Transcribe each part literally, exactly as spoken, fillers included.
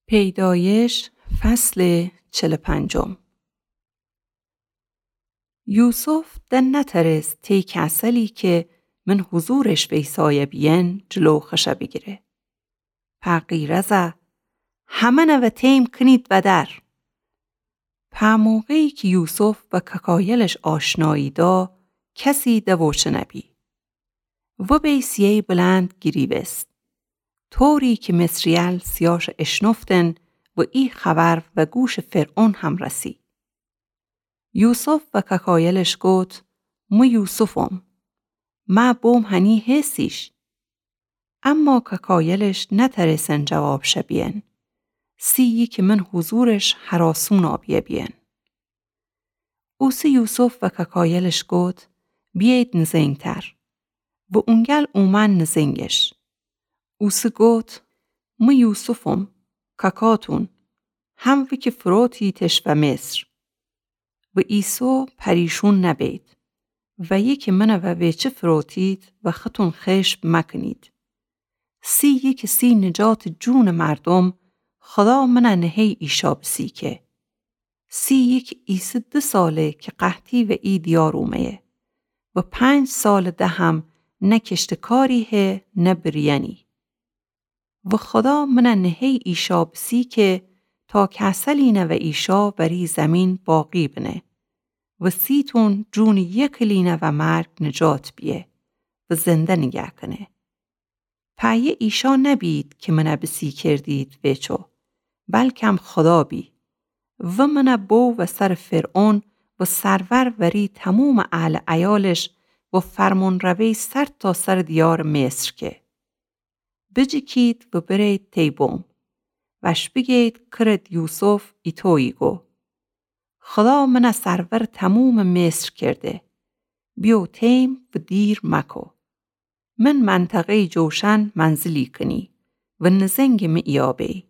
پیدایش، فصل چل و پنجم. یوسف ده نترس تی کسلی که من حضورش ویسایه بیین جلو خشه بیگیره. په غیره زه، همنه و تیم کنید و در. په موقعی که یوسف و ککایلش آشنایی دا، کسی ده وچه نبی. وبی سیی بلند گریوست. طوری که مصریل سیاش اشنفتن و ای خبر و گوش فرعون هم رسی. یوسف و ککایلش گفت، مو یوسفم. مه بوم هنی هسیش. اما ککایلش نترسن جواب شه بیین. سی یکی من حضورش هراسون آبیه بیین. اوسه یوسف و ککایلش گفت، بیید نزنگتر. و اونگل اومن نزنگش. اوسه گفت، مو یوسفم، ککاتون، هم وکی فروتیتش و مصر. و ایسو پریشون نبید. و یکی منه و ویچه فروتید و ختون خشم مکنید. سی یکی سی نجات جون مردم، خدا منه نهی ایشا بسیکه. سی یکی ایسه دو ساله که قحطی و ای دیار اومهیه و پنج سال ده هم نه کشتکاری هه نه بریانی. و خدا منه نهی ایشا بسیکه تا کسلینه و ایشا وری زمین باقی بنه و سیتون جون یکلینه و مرگ نجات بیه و زنده نیگه کنه. پایه ایشا نبید که منه بسیکردید ویچو، بلکم خدا بی. و منه بو و سر فرعون و سرور وری تموم اهل عیالش و فرمون روی سر تا سر دیار مصر که. بجکید و برید تی بوم. وش بیگید کرد یوسف ایتویی گو. خدا منه سرور تموم مصر کرده. بیو تیم و دیر مکو. من منطقهی جوشن منزلی کنی و نزنگ می ایابی.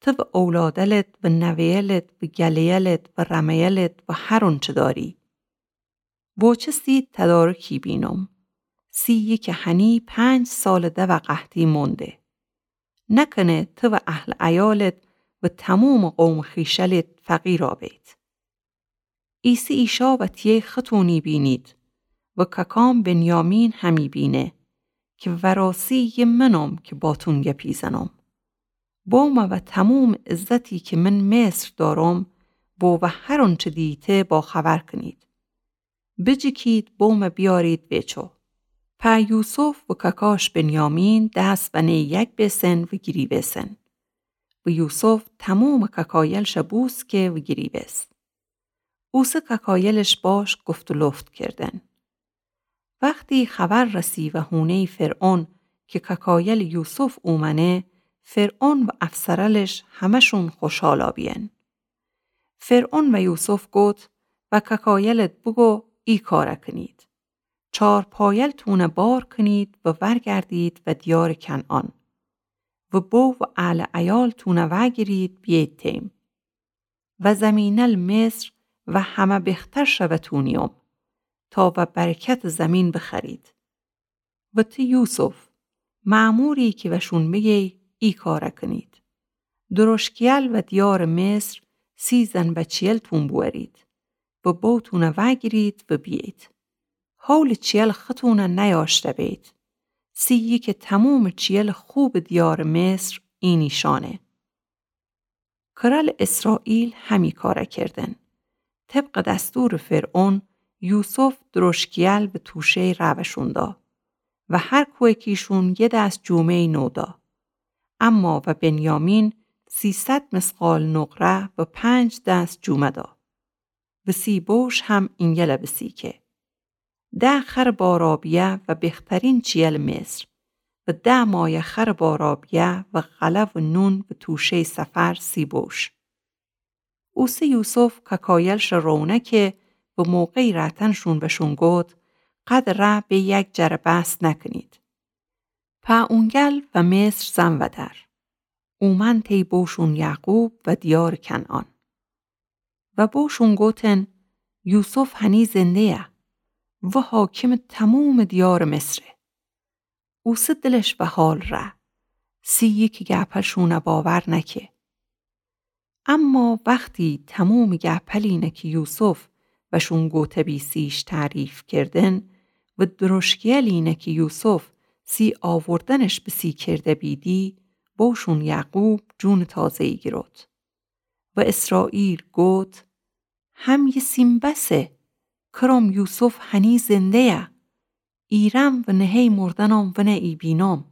تو و اولادلت و نوهیلت و گلیلت و رمیلت و هر اونچه داری. وچه سی تدارکی بینم. سی یکی هنی پنج سال ده و قحطی مونده. نکنه تو و اهل عیالت و تموم قوم خیشلت فقیر آبید. ایسه ایشا و تیه ختونی بینید و ککام بنیامین همی بینه که وراسی یه منم که باتون گپی زنم. بوم و تموم عزتی که من مصر دارم، بو و هر اونچه دیته با خبر کنید. بجکید بوم بیارید ویچو. په یوسف و ککاش بنیامین دس و نی یک بیسن و گریوسن. و یوسف تموم ککایلش بوس که و گریوست. اوسه ککایلش باش گفت و لفت کردن. وختی خبر رسی و هونهی فرعون که ککایل یوسف اومنه، فرعون و افسرلش همهشون خوشحالا بیین. فرعون و یوسف گفت، و ککایلت بگو ای کاره کنید. چارپایلتونه بار کنید و ورگردید و دیار کنعان. و بو و اهل عیالتونه وگیرید بیید تیم. و زمینل مصر و همه بختر شوتونیوم، تا و برکت زمین بخرید. و تی یوسف، مأموری که وشون بگی ای کاره کنید. درشکیل و دیار مصر سی زن و چیل تون بورید و بوتونه وگیرید و بیید. حول چیل ختونه نیاشته بید. سی یکی تموم چیل خوب دیار مصر اینیشانه. کرل اسرائیل همی کاره کردن. طبق دستور فرعون، یوسف درشکیل و توشهی روشون دا و هر کویکیشون یه دست جومهی نو دا. اما و بنیامین سیصد مثقال نقره و پنج دست جومه دا. و سی بوش هم اینگل بسیکه. ده خر بارابیه و بخترین چیل مصر و ده مایه خر بارابیه و غله و نون و توشهی سفر سی بوش. اوسه یوسف ککایلش رونه که و موقعی رأتنشون وشون گفت، قد ره به یک جره بس نکنید. په اونگل و مصر زن ودر. اومن تی بوشون یعقوب و دیار کنعان. و بوشون گوتن، یوسف هنی زنده‌یه و حاکم تموم دیار مصره. اوسه دلش و حال ره، سی یکی گپلشونه باور نکه. اما وختی تمومٚ گهپلینه کی یوسف وأشون گوته بیسیش تعریف کردن و درشکیلینه کی یوسف سی آوردنش بسی کرده بیدی، بوشون یعقوب جونٚ تازه‌یی گیروت. و اسرائیل گوت: هم یه سیم بسه، کرم یوسف هنی زنده‌یه. ایرم و نهه‌ی مردنم ونه ایبینم.